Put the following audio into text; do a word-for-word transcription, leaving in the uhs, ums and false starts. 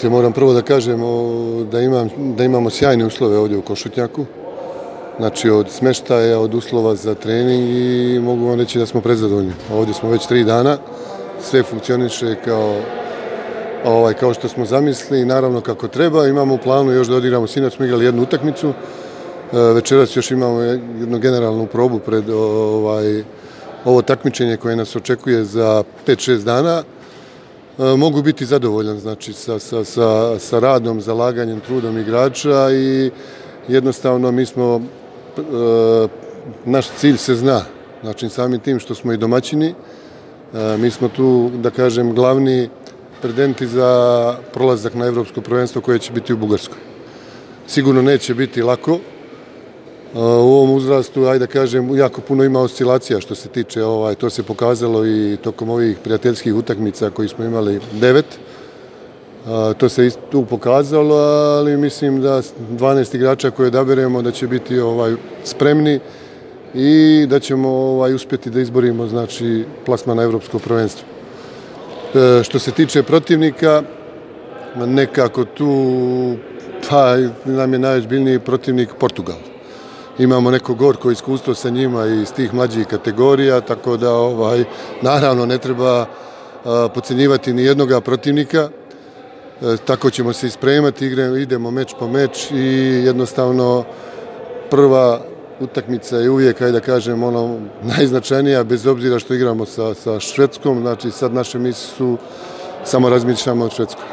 Moram prvo da kažem da, imam, da imamo sjajne uslove ovdje u Košutnjaku. Znači od smeštaja, od uslova za trening i mogu vam reći da smo prezadovoljni. Ovdje smo već tri dana, sve funkcioniše kao, ovaj, kao što smo zamislili i naravno kako treba. Imamo u planu još da odigramo, sinoć smo igrali jednu utakmicu, večeras još imamo jednu generalnu probu pred ovaj, ovo takmičenje koje nas očekuje za pet šest dana. Mogu biti zadovoljan znači, sa, sa, sa, sa radom, zalaganjem, trudom igrača i jednostavno mi smo, e, naš cilj se zna, znači samim tim što smo i domaćini, e, mi smo tu, da kažem, glavni pretendenti za prolazak na evropsko prvenstvo koje će biti u Bugarskoj. Sigurno neće biti lako, u ovom uzrastu, ajde da kažem, jako puno ima oscilacija što se tiče, ovaj, to se pokazalo i tokom ovih prijateljskih utakmica koji smo imali devet. To se i tu pokazalo, ali mislim da dvanaest igrača koje odaberemo da će biti ovaj, spremni i da ćemo ovaj, uspjeti da izborimo znači, plasman na evropsko prvenstvo. E, što se tiče protivnika, nekako tu pa, nam je najozbiljniji protivnik Portugal. Imamo neko gorko iskustvo sa njima iz tih mlađih kategorija, tako da ovaj, naravno ne treba a, podcenjivati ni jednoga protivnika. E, tako ćemo se ispremati, igramo, idemo meč po meč i jednostavno prva utakmica je uvijek, ajde da kažem, ono, najznačajnija, bez obzira što igramo sa, sa Švedskom. Znači sad naše misli su samo razmišljamo od Švedskoj.